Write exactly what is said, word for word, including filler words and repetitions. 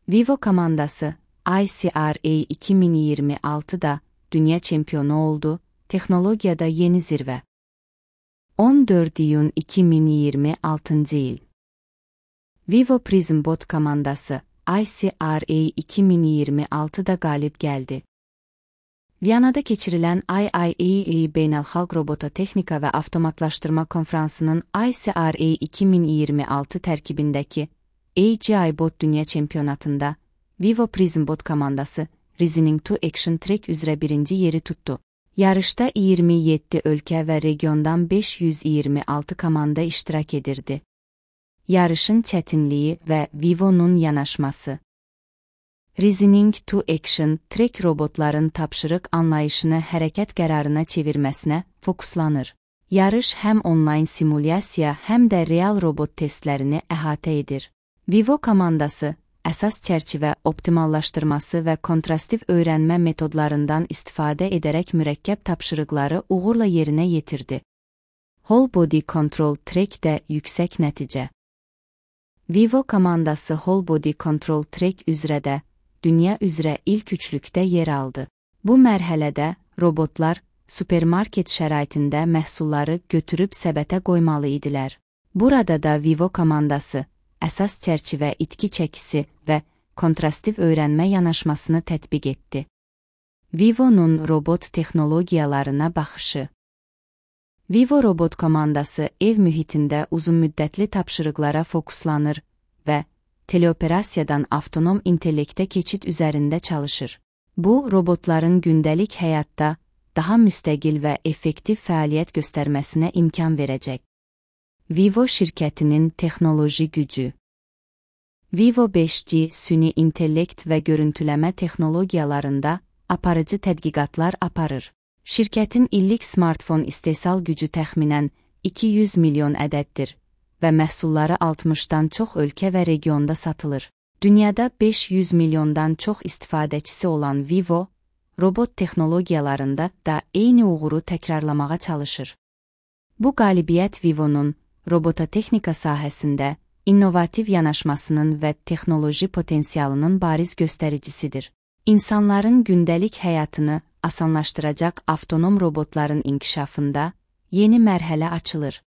Vivo komandası I C R A iki bin yirmi altıda dünya çempiyonu oldu, teknolojide yeni zirve. on dört iyun iki bin yirmi altıncı yıl. Vivo Prism Bot komandası I C R A iki bin yirmi altıda galip geldi. Viyana'da geçirilen I I A A Beynelxalq Robototexnika ve Avtomatlaştırma Konferansı'nın I C R A iki bin yirmi altı terkibindeki A G I Bot Dünya Çempiyonatında Vivo Prism Bot komandası Reasoning to Action Track üzere birinci yeri tuttu. Yarışta yirmi yedi ülke ve regiondan beş yüz yirmi altı komanda iştirak edirdi. Yarışın çetinliği ve Vivo'nun yanaşması. Reasoning to Action Track robotların tapşırık anlayışını hərəkət qərarına çevirməsinə fokuslanır. Yarış həm online simulyasiya həm də real robot testlərini əhatə edir. Vivo komandası əsas çərçivə optimallaşdırması və kontrastiv öyrənmə metodlarından istifadə edərək mürəkkəb tapşırıqları uğurla yerinə yetirdi. Whole Body Control Track də yüksək nəticə. Vivo komandası Whole Body Control Track üzrə də dünya üzrə ilk üçlükdə yer aldı. Bu mərhələdə robotlar supermarket şəraitində məhsulları götürüb səbətə qoymalı idilər. Burada da Vivo komandası əsas çərçivə itki çəkisi və kontrastiv öyrənmə yanaşmasını tətbiq etdi. Vivo'nun robot texnologiyalarına baxışı. Vivo robot komandası ev mühitində uzunmüddətli tapşırıqlara fokuslanır və teleoperasiyadan avtonom intellektə keçid üzərində çalışır. Bu, robotların gündəlik həyatda daha müstəqil və effektiv fəaliyyət göstərməsinə imkan verəcək. Vivo şirkətinin texnoloji gücü. Vivo beş G süni intellekt və görüntüləmə texnologiyalarında aparıcı tədqiqatlar aparır. Şirkətin illik smartfon istehsal gücü təxminən iki yüz milyon ədəddir və məhsulları altmışdan çox ölkə və regionda satılır. Dünyada beş yüz milyondan çox istifadəçisi olan Vivo, robot texnologiyalarında da eyni uğuru təkrarlamağa çalışır. Bu qalibiyyət Vivo'nun robototexnika sahəsində innovativ yanaşmasının və texnoloji potensialının bariz göstəricisidir. İnsanların gündəlik həyatını asanlaşdıracaq avtonom robotların inkişafında yeni mərhələ açılır.